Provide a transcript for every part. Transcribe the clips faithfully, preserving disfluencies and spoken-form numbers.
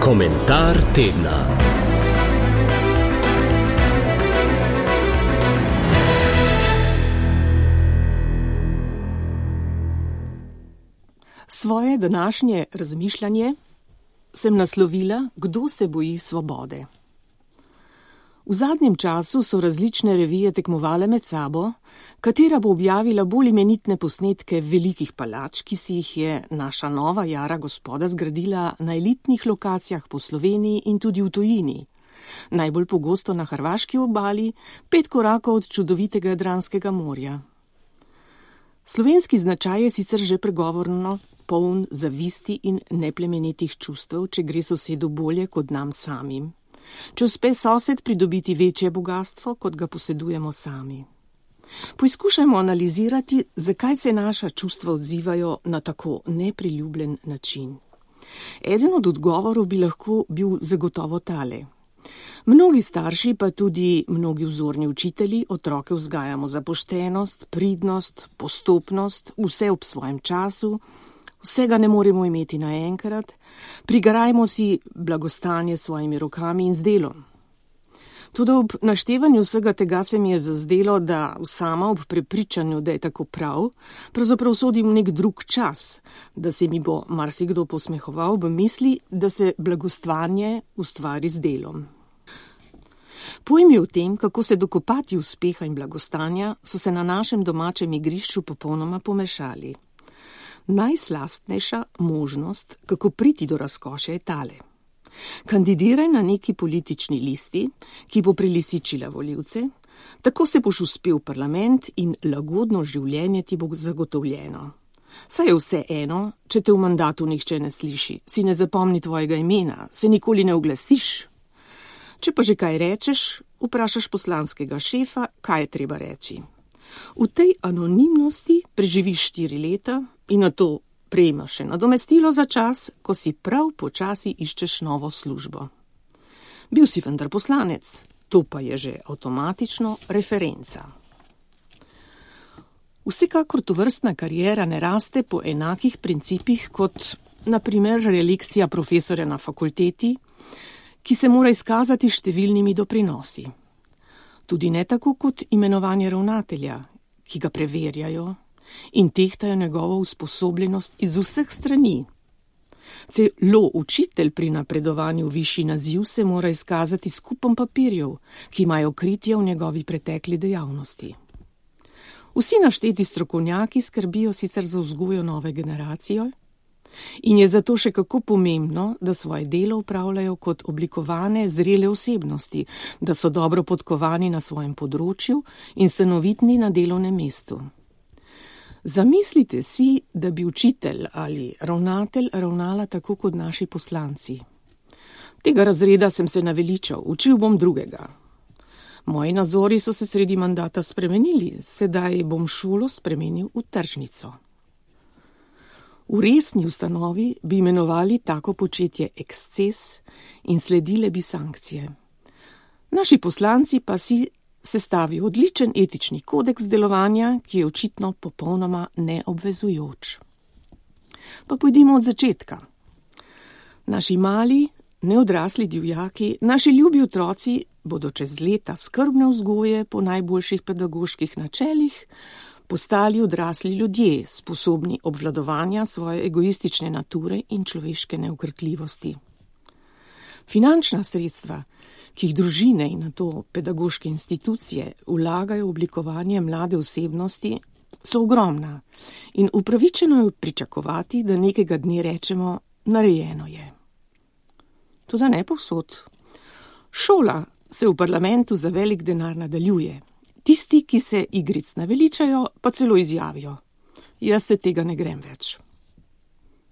Komentar tedna. Svoje današnje razmišljanje sem naslovila, kdo se boji svobode. V zadnjem času so različne revije tekmovale med sabo, katera bo objavila bolj imenitne posnetke velikih palač, ki si jih je naša nova jara gospoda zgradila na elitnih lokacijah po Sloveniji in tudi v tujini. Najbolj pogosto na hrvaški obali, pet korakov od čudovitega Jadranskega morja. Slovenski značaj je sicer že pregovorno poln zavisti in neplemenitih čustev, če gre sosedu bolje kot nam samim. Če uspe sosed pridobiti večje bogastvo, kot ga posedujemo sami. Poizkušajmo analizirati, zakaj se naša čustva odzivajo na tako nepriljubljen način. Eden od odgovorov bi lahko bil zagotovo tale. Mnogi starši, pa tudi mnogi vzorni učitelji, otroke vzgajamo za poštenost, pridnost, postopnost, vse ob svojem času, vsega ne moremo imeti naenkrat, prigarajmo si blagostanje s svojimi rokami in z delom. Tudi ob naštevanju vsega tega se mi je zazdelo, da sama ob prepričanju, da je tako prav, pravzaprav sodim v nek drug čas, da se mi bo marsikdo posmehoval v misli, da se blagostvanje ustvari z delom. Pojmi o tem, kako se dokopati uspeha in blagostanja, so se na našem domačem igrišču popolnoma pomešali. Najslastnejša možnost, kako priti do razkošja, je tale. Kandidiraj na neki politični listi, ki bo prelisičila volivce, tako se boš uspel v parlament in lagodno življenje ti bo zagotovljeno. Saj je vse eno, če te v mandatu nihče ne sliši, si ne zapomni tvojega imena, se nikoli ne oglasiš. Če pa že kaj rečeš, vprašaš poslanskega šefa, kaj je treba reči. V tej anonimnosti preživiš štiri leta in na to prejmaš še nadomestilo za čas, ko si prav počasi iščeš novo službo. Bil si vendar poslanec, to pa je že avtomatično referenca. Vsekakor tovrstna kariera ne raste po enakih principih kot, na primer, relekcija profesorja na fakulteti, ki se mora izkazati številnimi doprinosi. Tudi ne tako kot imenovanje ravnatelja, ki ga preverjajo in tehtajo njegovo usposobljenost iz vseh strani. Celo učitelj pri napredovanju v višji naziv se mora izkazati s kupom papirjev, ki imajo kritje v njegovi pretekli dejavnosti. Vsi našteti strokovnjaki skrbijo sicer za vzgojo nove generacije in je zato še kako pomembno, da svoje delo upravljajo kot oblikovane, zrele osebnosti, da so dobro podkovani na svojem področju in stanovitni na delovnem mestu. Zamislite si, da bi učitelj ali ravnatelj ravnala tako kot naši poslanci. Tega razreda sem se naveličal, učil bom drugega. Moji nazori so se sredi mandata spremenili, sedaj bom šolo spremenil v tržnico. V resni ustanovi bi imenovali tako početje eksces in sledile bi sankcije. Naši poslanci pa si sestavijo odličen etični kodeks delovanja, ki je očitno popolnoma neobvezujoč. Pa pojdimo od začetka. Naši mali, neodrasli divjaki, naši ljubi otroci bodo čez leta skrbne vzgoje po najboljših pedagoških načelih postali odrasli ljudje, sposobni obvladovanja svoje egoistične nature in človeške neukrtljivosti. Finančna sredstva, ki jih družine in nato pedagoške institucije vlagajo v oblikovanje mlade osebnosti, so ogromna in upravičeno je pričakovati, da nekega dne rečemo, narejeno je. Toda ne povsod. Šola se v parlamentu za velik denar nadaljuje. Tisti, ki se igric naveličajo, pa celo izjavijo. Jaz se tega ne grem več.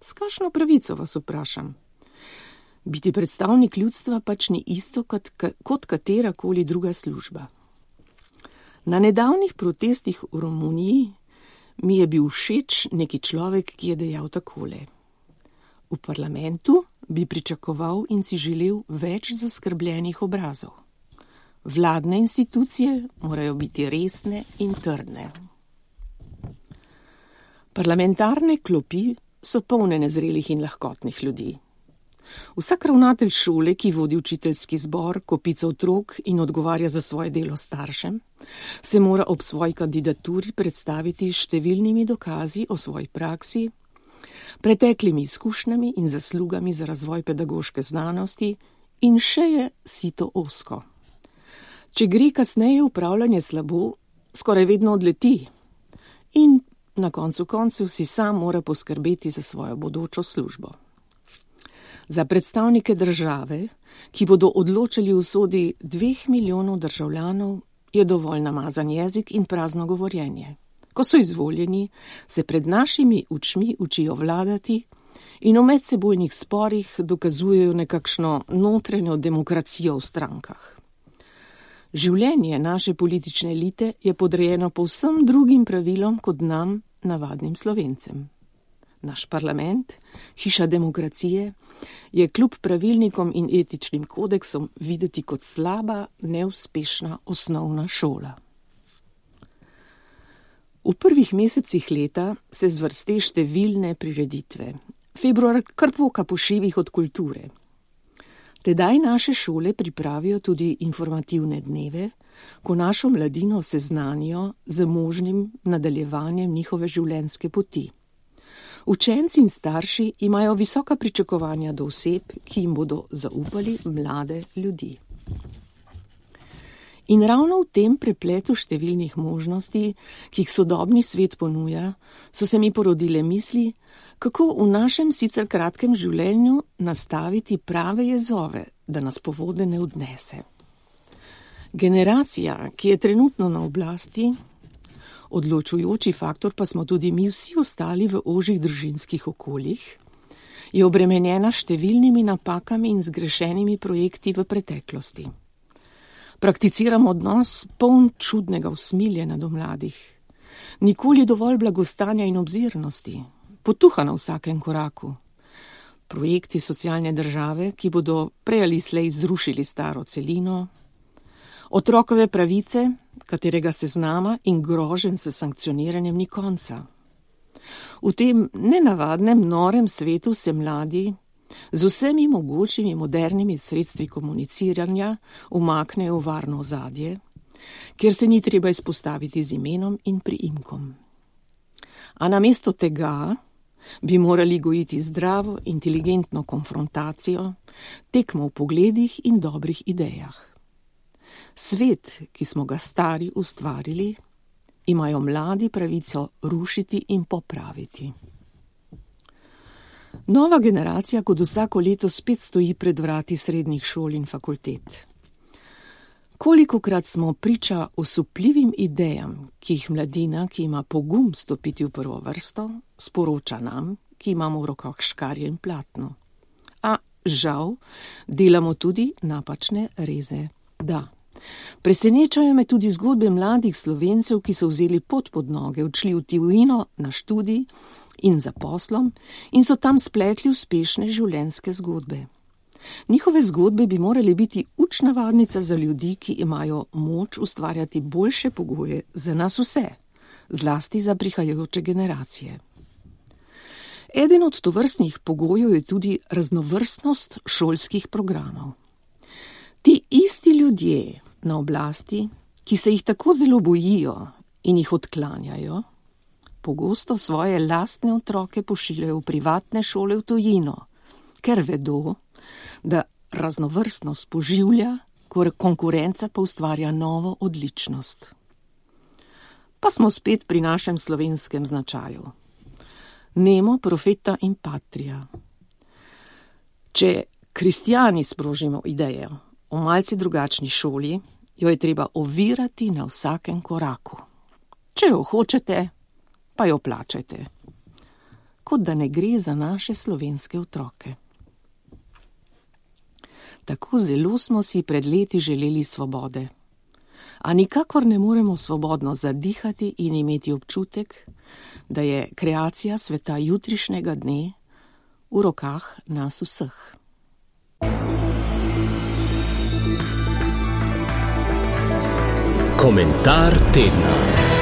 S kakšno pravico vas vprašam? Biti predstavnik ljudstva pač ni isto kot, kot katerakoli druga služba. Na nedavnih protestih v Romuniji mi je bil všeč neki človek, ki je dejal takole. V parlamentu bi pričakoval in si želel več zaskrbljenih obrazov. Vladne institucije morajo biti resne in trdne. Parlamentarne klopi so polne nezrelih in lahkotnih ljudi. Vsak ravnatelj šole, ki vodi učiteljski zbor, kopico otrok in odgovarja za svoje delo staršem, se mora ob svoji kandidaturi predstaviti s številnimi dokazi o svoji praksi, preteklimi izkušnjami in zaslugami za razvoj pedagoške znanosti in še je sito ozko. Če gre kasneje upravljanje slabo, skoraj vedno odleti in na koncu koncev si sam mora poskrbeti za svojo bodočo službo. Za predstavnike države, ki bodo odločali o usodi dveh milijonov državljanov, je dovolj namazan jezik in prazno govorjenje. Ko so izvoljeni, se pred našimi očmi učijo vladati in v medsebojnih sporih dokazujejo nekakšno notranjo demokracijo v strankah. Življenje naše politične elite je podrejeno povsem drugim pravilom kot nam, navadnim Slovencem. Naš parlament, hiša demokracije, je kljub pravilnikom in etičnim kodeksom videti kot slaba, neuspešna osnovna šola. V prvih mesecih leta se zvrste številne prireditve. Februar kar poka po šivih od kulture. Tedaj naše šole pripravijo tudi informativne dneve, ko našo mladino seznanijo z možnim nadaljevanjem njihove življenjske poti. Učenci in starši imajo visoka pričakovanja do oseb, ki jim bodo zaupali mlade ljudi. In ravno v tem prepletu številnih možnosti, ki jih sodobni svet ponuja, so se mi porodile misli, kako v našem sicer kratkem življenju nastaviti prave jezove, da nas po vode ne odnese. Generacija, ki je trenutno na oblasti, odločujoči faktor pa smo tudi mi vsi ostali v ožjih družinskih okoljih, je obremenjena številnimi napakami in zgrešenimi projekti v preteklosti. Prakticiramo odnos poln čudnega usmiljenja do mladih. Nikoli dovolj blagostanja in obzirnosti, potuha na vsakem koraku. Projekti socialne države, ki bodo prej ali slej zrušili staro celino, otrokove pravice, katerega seznama in groženj s sankcioniranjem ni konca. V tem nenavadnem, norem svetu se mladi z vsemi mogočimi modernimi sredstvi komuniciranja umaknejo v varno ozadje, kjer se ni treba izpostaviti z imenom in priimkom. A namesto tega bi morali gojiti zdravo, inteligentno konfrontacijo, tekmo v pogledih in dobrih idejah. Svet, ki smo ga stari ustvarili, imajo mladi pravico rušiti in popraviti. Nova generacija kot vsako leto spet stoji pred vrati srednjih šol in fakultet. Kolikokrat smo priča osupljivim idejam, ki jih mladina, ki ima pogum stopiti v prvo vrsto, sporoča nam, ki imamo v rokah škarje in platno. A žal, delamo tudi napačne reze. Da. Presenečajo me tudi zgodbe mladih Slovencev, ki so vzeli pot pod noge, odšli v tujino na študij in za poslom in so tam spletli uspešne življenjske zgodbe. Njihove zgodbe bi morali biti učna vadnica za ljudi, ki imajo moč ustvarjati boljše pogoje za nas vse, zlasti za prihajajoče generacije. Eden od tovrstnih pogojev je tudi raznovrstnost šolskih programov. Ti isti ljudje na oblasti, ki se jih tako zelo bojijo in jih odklanjajo, pogosto svoje lastne otroke pošiljajo v privatne šole v tujino, ker vedo, da raznovrstnost poživlja, konkurenca pa ustvarja novo odličnost. Pa smo spet pri našem slovenskem značaju. Nemo, profeta in patria. Če kristjani sprožimo idejo o malce drugačni šoli, jo je treba ovirati na vsakem koraku. Če jo hočete, pa jo plačajte. Kot da ne gre za naše slovenske otroke. Tako zelo smo si pred leti želeli svobode, a nikakor ne moremo svobodno zadihati in imeti občutek, da je kreacija sveta jutrišnjega dne v rokah nas vseh. Komentar tedna.